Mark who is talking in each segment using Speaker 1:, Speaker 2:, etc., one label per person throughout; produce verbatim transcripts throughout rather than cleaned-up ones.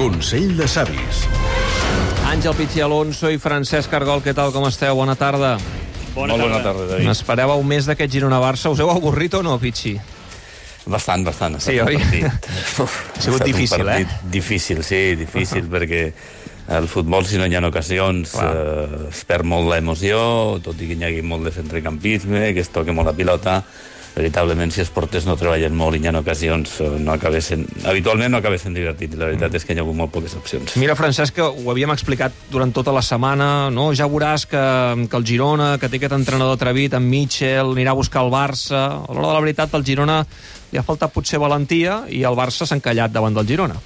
Speaker 1: Consell de Savis.
Speaker 2: Àngel Pichi Alonso i Francesc Argol, què tal, com esteu? Bona tarda.
Speaker 3: Bona Molt bona tarda, David.
Speaker 2: N'esperàveu més d'aquest Girona-Barça? Us heu avorrit o no, Pichi?
Speaker 3: Bastant, bastant.
Speaker 2: Sí, oi?
Speaker 3: Uf,
Speaker 2: ha sigut difícil, eh?
Speaker 3: Difícil, sí, difícil, uh-huh. perquè el futbol, si no hi ha ocasions, eh, es perd molt l'emoció, tot i que hi hagi molt de centrecampisme, que es toqui molt la pilota. Veritablement, si els porters no treballen molt i hi ha ocasions, no acabessin, habitualment no acabessin divertit. La veritat és que hi ha hagut molt poques opcions.
Speaker 2: Mira, Francesc, que ho havíem explicat durant tota la setmana, no? Ja veuràs que, que el Girona, que té aquest entrenador atrevit, en Mitchell, anirà a buscar el Barça. A l'hora de la veritat, el Girona li ha faltat potser valentia i el Barça s'ha encallat davant del Girona.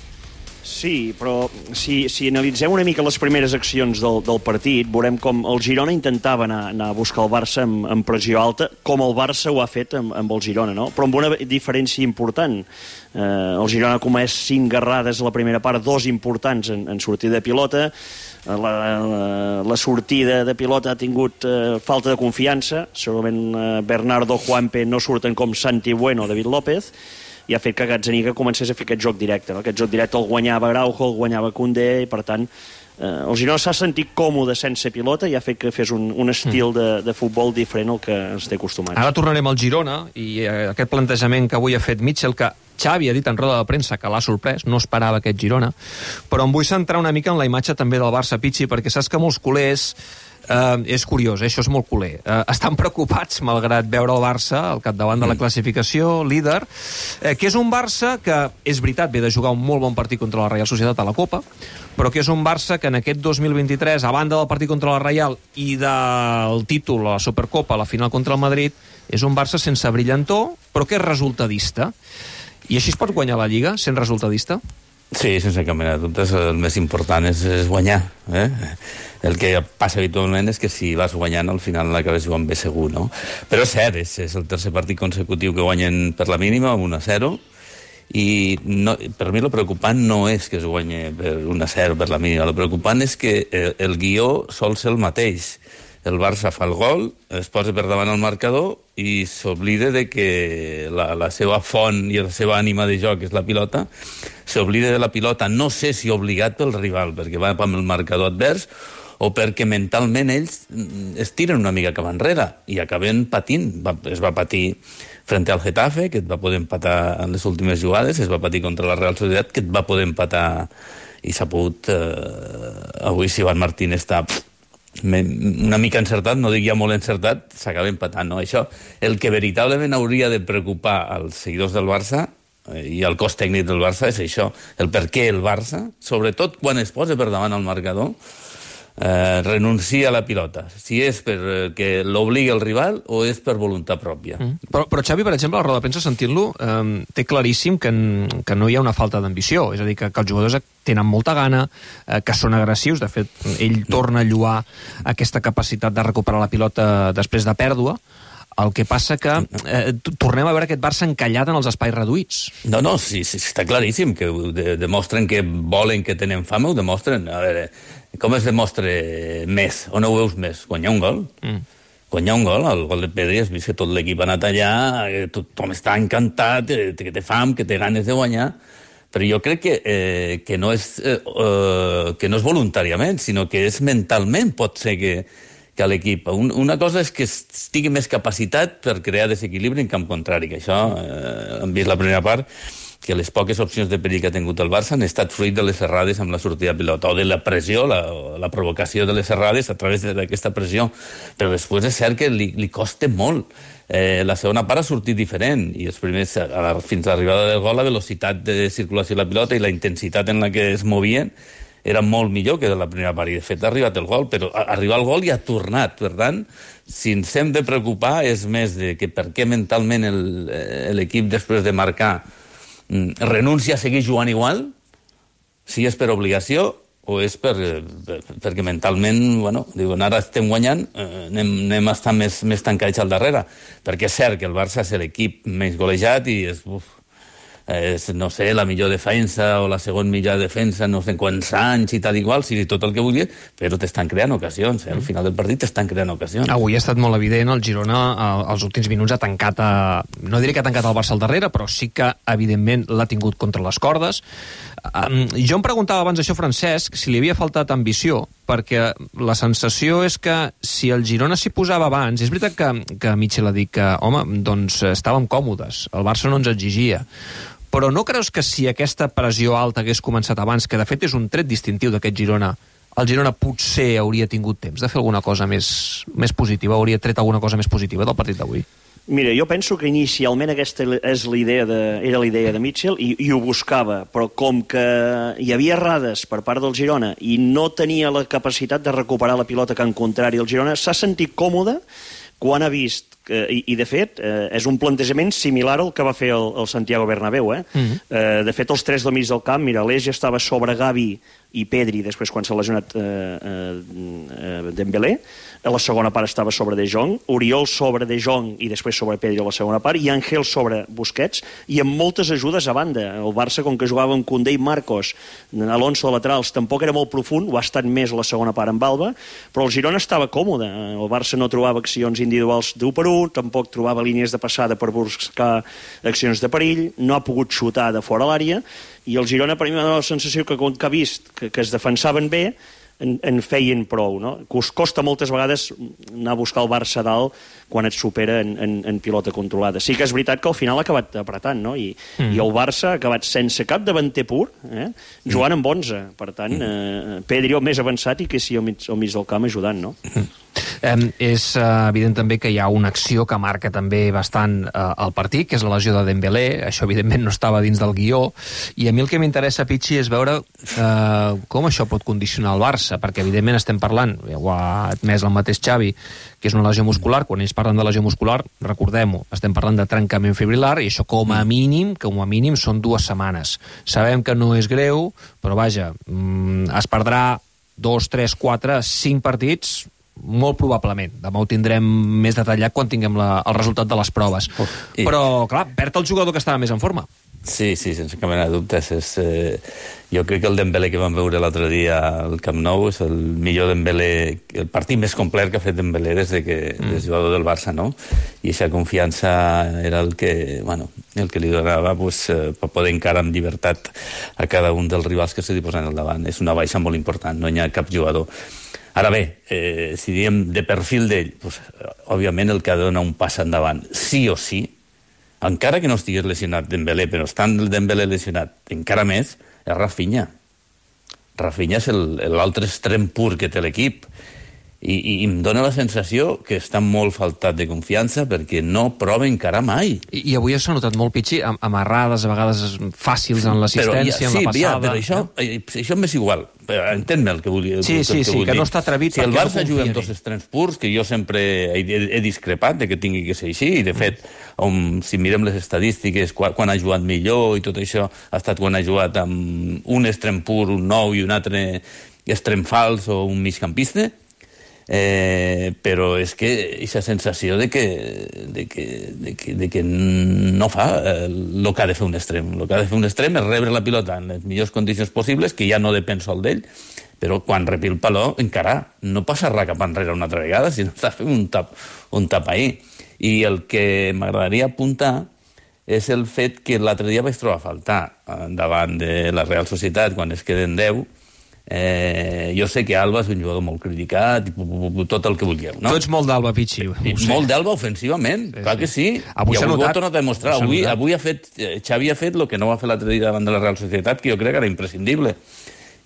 Speaker 4: Sí, però si, si analitzem una mica les primeres accions del, del partit, veurem com el Girona intentava anar, anar a buscar el Barça amb, amb pressió alta, com el Barça ho ha fet amb, amb el Girona, no? Però amb una diferència important. Eh, el Girona ha comès cinc garrades a la primera part, dos importants en, en sortida de pilota. La, la, la sortida de pilota ha tingut eh, falta de confiança. Segurament eh, Bernardo, Juanpe no surten com Santi Bueno o David López, i ha fet que Gazzaniga comencés a fer aquest joc directe. No? Aquest joc directe el guanyava Araujo, el guanyava Koundé, i per tant eh, el Girona s'ha sentit còmode sense pilota i ha fet que fes un, un estil de, de futbol diferent al que ens té acostumats.
Speaker 2: Ara tornarem al Girona i eh, aquest plantejament que avui ha fet Mitchell, que Xavi ha dit en roda de premsa que l'ha sorprès, no esperava aquest Girona, però em vull centrar una mica en la imatge també del Barça, Pichi, perquè saps que molts culers, Uh, és curiós, eh? Això és molt culer. Uh, estan preocupats, malgrat veure el Barça al capdavant de la classificació, líder, uh, que és un Barça que, és veritat, ve de jugar un molt bon partit contra la Real Societat a la Copa, però que és un Barça que en aquest dos mil vint-i-tres, a banda del partit contra la Real i del títol a la Supercopa, a la final contra el Madrid, és un Barça sense brillantor, però que és resultadista. I així es pot guanyar la Lliga, sent resultadista?
Speaker 3: Sí, sense cap mena de dubtes, el més important és, és guanyar. Eh? El que passa habitualment és que si vas guanyant, al final l'acabes jugant bé segur, no? Però és cert, és, és el tercer partit consecutiu que guanyen per la mínima, un a zero, i no, per mi el preocupant no és que es guanyi per un a zero per la mínima, el preocupant és que el, el guió sol ser el mateix. El Barça fa el gol, es posa per davant el marcador i s'oblida de que la, la seva font i la seva ànima de joc és la pilota, s'oblida de la pilota, no sé si obligat pel rival, perquè va amb el marcador advers, o perquè mentalment ells es tiren una mica cap enrere i acaben patint. Va, es va patir frente al Getafe, que et va poder empatar en les últimes jugades, es va patir contra la Real Societat, que et va poder empatar, i s'ha pogut... Eh, avui, si Iván Martín està... una mica encertat, no dic ja molt encertat, s'acaba empatant, no? Això, el que veritablement hauria de preocupar als seguidors del Barça eh, i al cos tècnic del Barça és això, el per què el Barça, sobretot quan es posa per davant el marcador, eh, renuncia a la pilota, si és perquè l'obliga el rival o és per voluntat pròpia. Mm.
Speaker 2: Però, però Xavi, per exemple, a la roda de premsa, sentint-lo, eh, té claríssim que, en, que no hi ha una falta d'ambició, és a dir, que, que els jugadors tenen molta gana, eh, que són agressius, de fet, ell torna a lluar aquesta capacitat de recuperar la pilota després de pèrdua. El que passa que eh, tornem a veure aquest Barça encallat en els espais reduïts.
Speaker 3: No, no, sí, sí, està claríssim que de, demostren que volen, que tenen fam, ho demostren. A veure, com es demostra més? On ho veus més? Guanyar un gol? Mm. Guanyar un gol, el gol de Pedri, has vist que tot l'equip ha anat allà, tothom està encantat, que té fam, que té ganes de guanyar, però jo crec que, eh, que, no és, eh, que no és voluntàriament, sinó que és mentalment, pot ser que que a l'equip. Un, una cosa és que estigui més capacitat per crear desequilibri en camp contrari, que això eh, hem vist la primera part, que les poques opcions de perill que ha tingut el Barça han estat fruit de les errades amb la sortida de pilota, o de la pressió, la, la provocació de les errades a través d'aquesta pressió. Però després és cert que li, li costa molt. Eh, la segona part ha sortit diferent, i els primers, a la, fins a l'arribada del gol, la velocitat de circulació de la pilota i la intensitat en la que es movien era molt millor que de la primera part, i de fet ha arribat el gol, però arribar al gol i ha tornat. Per tant, si ens hem de preocupar és més de que per què mentalment l'equip, després de marcar, renuncia a seguir jugant igual, si és per obligació o és per, per, perquè mentalment, bueno, diuen, ara estem guanyant, eh, anem, anem a estar més, més tancats al darrere, perquè és cert que el Barça és l'equip menys golejat i és... Uf, és, no sé, la millor defensa o la segon millor defensa, no sé quants anys i tal igual, sí, tot el que vulguis, però t'estan creant ocasions, eh? Al final del partit t'estan creant ocasions.
Speaker 2: Avui ha estat molt evident, el Girona als últims minuts ha tancat, a, no diré que ha tancat el Barça al darrere, però sí que evidentment l'ha tingut contra les cordes. Um, jo em preguntava abans això, Francesc, si li havia faltat ambició, perquè la sensació és que si el Girona s'hi posava abans, és veritat que, que Mitchell ha dit que, home, doncs estàvem còmodes, el Barça no ens exigia, però no creus que si aquesta pressió alta hagués començat abans, que de fet és un tret distintiu d'aquest Girona, el Girona potser hauria tingut temps de fer alguna cosa més, més positiva, hauria tret alguna cosa més positiva del partit d'avui?
Speaker 4: Mira, jo penso que inicialment aquesta és la idea de, era la idea de Mitchell i, i ho buscava, però com que hi havia errades per part del Girona i no tenia la capacitat de recuperar la pilota que en contrari el Girona, s'ha sentit còmode quan ha vist, eh, i, i de fet eh, és un plantejament similar al que va fer el, el Santiago Bernabéu, eh? Mm-hmm. eh, de fet els tres del mig del camp, mira, l'Eix ja estava sobre Gavi i Pedri, després quan s'ha lesionat eh, eh, eh, Dembélé, a la segona part estava sobre De Jong, Oriol sobre De Jong i després sobre Pedri a la segona part, i Ángel sobre Busquets, i amb moltes ajudes a banda. El Barça, com que jugava amb Koundé i Marcos, Alonso de laterals, tampoc era molt profund, ho ha estat més a la segona part amb Alba, però el Girona estava còmode. El Barça no trobava accions individuals d'un per un, tampoc trobava línies de passada per buscar accions de perill, no ha pogut xutar de fora l'àrea, i el Girona, per mi, m'ha donat la sensació que, com que ha vist que, que es defensaven bé, en, en feien prou, no? Costa moltes vegades anar a buscar el Barça dalt quan et supera en, en, en pilota controlada. Sí que és veritat que al final ha acabat apretant, no? I, mm. i el Barça ha acabat sense cap davanter pur, eh? jugant amb onze. Per tant, eh, Pedri el més avançat i que sí al mig, al mig del camp ajudant, no?
Speaker 2: Mm. Eh, és uh, evident també que hi ha una acció que marca també bastant uh, el partit, que és la lesió de Dembélé. Això evidentment no estava dins del guió, i a mi el que m'interessa, Pichi, és veure uh, com això pot condicionar el Barça, perquè evidentment estem parlant, ho ha admès el mateix Xavi, que és una lesió muscular. Quan ells parlen de lesió muscular, recordem-ho, estem parlant de trencament fibrilar, i això com a mínim, com a mínim són dues setmanes. Sabem que no és greu, però vaja, mm, es perdrà dos, tres, quatre, cinc partits, molt probablement. Demà ho tindrem més detallat quan tinguem la, el resultat de les proves. Oh, i... Però, clar, perd el jugador que estava més en forma.
Speaker 3: Sí, sí, sense cap mena de dubtes. És, eh, jo crec que el Dembélé que vam veure l'altre dia al Camp Nou és el millor Dembélé, el partit més complet que ha fet Dembélé des de que mm. és jugador del Barça, no? I aquesta confiança era el que, bueno, el que li donava pues, eh, per poder encarar amb llibertat a cada un dels rivals que se li posen al davant. És una baixa molt important, no hi ha cap jugador. Ara bé, eh, si diem de perfil d'ell, pues, òbviament el que ha de donar un pas endavant, sí o sí, encara que no estigués lesionat Dembélé, però estant el Dembélé lesionat encara més, és Rafinha. Rafinha és l'altre extrem pur que té l'equip. I, i em dóna la sensació que està molt faltat de confiança perquè no prova encara mai.
Speaker 2: I, i avui s'ha notat molt, Pichi, am amarrades a vegades fàcils en l'assistència, ja,
Speaker 3: sí,
Speaker 2: en la passada.
Speaker 3: Ja, però això, eh? això m'és igual. Entén-me el que vull dir.
Speaker 2: Sí, sí,
Speaker 3: que,
Speaker 2: sí, que no està atrevit.
Speaker 3: Si el Barça no juga amb dos extrems purs, que jo sempre he, he, he discrepat de que tingui que ser així, i de fet, um, si mirem les estadístiques, quan, quan ha jugat millor i tot això, ha estat quan ha jugat amb un extrem pur, un nou i un altre extrem fals o un migcampista. Eh, però és que aquesta sensació de que, de que, de que, de que no fa el eh, que ha de fer un extrem. El que ha de fer un extrem és rebre la pilota en les millors condicions possibles, que ja no depèn sol d'ell, però quan repi el paló, encara no passa res cap enrere una altra vegada, sinó està fent un tap, un tap ahí. I el que m'agradaria apuntar és el fet que l'altre dia vaig trobar a faltar davant de la Real Societat, quan es queden deu. Eh, jo sé que Alba és un jugador molt criticat i tot el que vulgueu, no?
Speaker 2: Tu ets molt d'Alba, Pichi.
Speaker 3: Molt d'Alba ofensivament, sí, clar sí. que sí.
Speaker 2: Avui
Speaker 3: I avui
Speaker 2: notat,
Speaker 3: ho ha tornat a demostrar. Avui, avui ha fet, Xavi ha fet el que no va fer l'altre dia davant de la Real Societat, que jo crec que era imprescindible.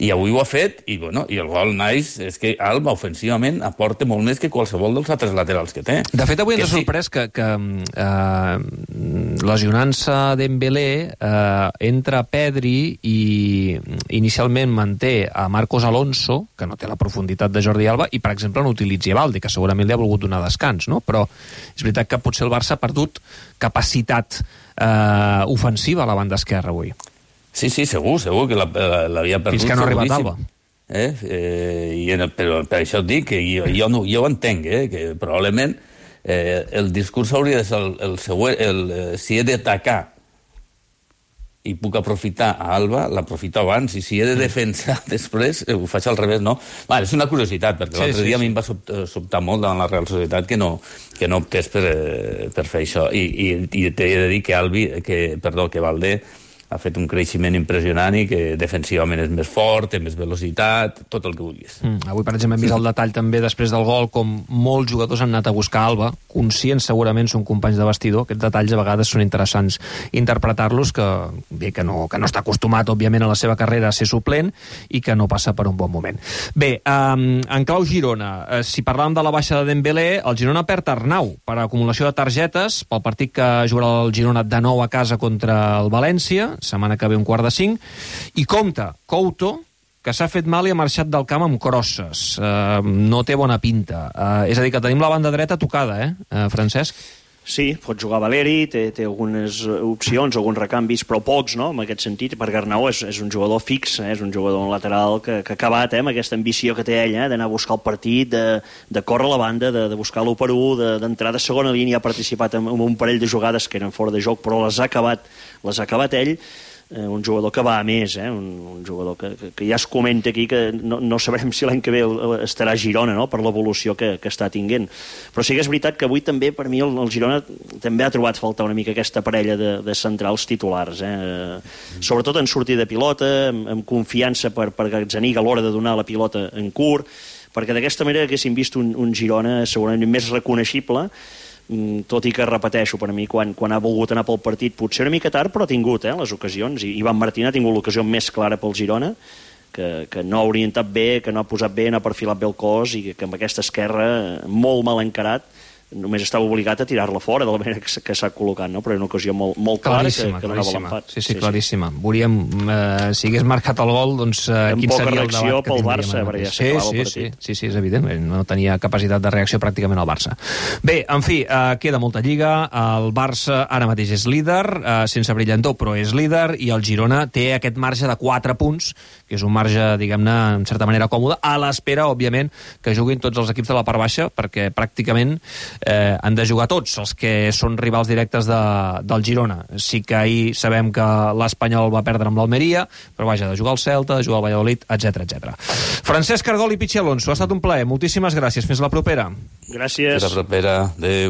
Speaker 3: I avui ho ha fet, i, bueno, i el gol nice és que Alba, ofensivament, aporta molt més que qualsevol dels altres laterals que té.
Speaker 2: De fet, avui ens ha sorprès sí. que, que eh, lesionant-se Dembélé eh, entra Pedri i inicialment manté a Marcos Alonso, que no té la profunditat de Jordi Alba, i, per exemple, no utilitzi Valde, que segurament li ha volgut donar descans, no? Però és veritat que potser el Barça ha perdut capacitat eh, ofensiva a la banda esquerra avui.
Speaker 3: Sí, sí, segur, segur que l'havia perdut.
Speaker 2: Fins que no ha arribat Alba.
Speaker 3: Eh? Eh, i en, però per això et dic que jo, jo, no, jo ho entenc, eh? Que probablement eh, el discurs hauria de ser el, el següent, el, eh, si he d'atacar i puc aprofitar a Alba, l'aprofito abans, i si he de defensar després, eh, ho faig al revés, no? Va, és una curiositat, perquè sí, l'altre sí, dia sí. a mi em va sobtar molt davant la Real Societat que no, que no optés per, per fer això. I, i, i t'he de dir que Albi, que, perdó, que Valde ha fet un creixement impressionant i que defensivament és més fort, té més velocitat, tot el que vulguis.
Speaker 2: Mm, avui, per exemple, hem vist el detall també després del gol, com molts jugadors han anat a buscar Alba, conscients segurament són companys de vestidor, aquests detalls a vegades són interessants interpretar-los, que bé, que no, que no està acostumat, òbviament, a la seva carrera a ser suplent i que no passa per un bon moment. Bé, um, en clau Girona, eh, si parlàvem de la baixa de Dembélé, el Girona perd Arnau per acumulació de targetes pel partit que jugarà el Girona de nou a casa contra el València, setmana que ve un quart de cinc, i compta Couto, que s'ha fet mal i ha marxat del camp amb crosses. Uh, no té bona pinta. Uh, és a dir, que tenim la banda dreta tocada, eh, uh, Francesc?
Speaker 4: Sí, pot jugar Valeri, té, té algunes opcions, alguns recanvis, però pocs, no?, en aquest sentit, perquè Arnau és, és un jugador fix, eh? És un jugador lateral que, que ha acabat eh? amb aquesta ambició que té ell, eh? d'anar a buscar el partit, de, de córrer a la banda, de, de buscar l'u per u, d'entrar de, de segona línia, ha participat en, en un parell de jugades que eren fora de joc, però les ha acabat, les ha acabat ell. Eh, un jugador que va a més, eh? un, un jugador que, que, que ja es comenta aquí que no, no sabrem si l'any que ve estarà a Girona, no?, per l'evolució que, que està tinguent. Però sí que és veritat que avui també, per mi, el, el Girona també ha trobat faltar una mica aquesta parella de, de centrals titulars, eh? sobretot en sortir de pilota, amb, amb confiança per, per Gazzaniga a l'hora de donar la pilota en curt, perquè d'aquesta manera haguéssim vist un, un Girona segurament més reconeixible, tot i que, repeteixo, per a mi, quan, quan ha volgut anar pel partit, potser una mica tard, però ha tingut eh, les ocasions, i Ivan Martín ha tingut l'ocasió més clara pel Girona, que, que no ha orientat bé, que no ha posat bé, no ha perfilat bé el cos, i que, que amb aquesta esquerra, molt mal encarat, només estava obligat a tirar-la fora de la manera que, que s'ha col·locat, no? Però és una ocasió molt, molt clara que, que donava l'empat.
Speaker 2: Sí, sí, claríssima. Sí, sí. Veuríem, eh, si hagués marcat el gol, doncs eh, quin seria el debat que tindríem.
Speaker 4: Pel Barça, perquè ja s'acabava
Speaker 2: sí,
Speaker 4: el partit.
Speaker 2: Sí, sí, sí, és evident, no tenia capacitat de reacció pràcticament al Barça. Bé, en fi, eh, queda molta lliga, el Barça ara mateix és líder, eh, sense brillantor, però és líder, i el Girona té aquest marge de quatre punts, que és un marge, diguem-ne, en certa manera còmode, a l'espera, òbviament, que juguin tots els equips de la part baixa, perquè pràcticament eh, han de jugar tots els que són rivals directes de, del Girona. Sí que ahir sabem que l'Espanyol va perdre amb l'Almeria, però vaja, de jugar al Celta, de jugar al Valladolid, etcètera etcètera. Francesc Cargol i Pichi Alonso, ha estat un plaer. Moltíssimes gràcies. Fins la propera.
Speaker 4: Gràcies.
Speaker 3: Fins la propera. Adéu.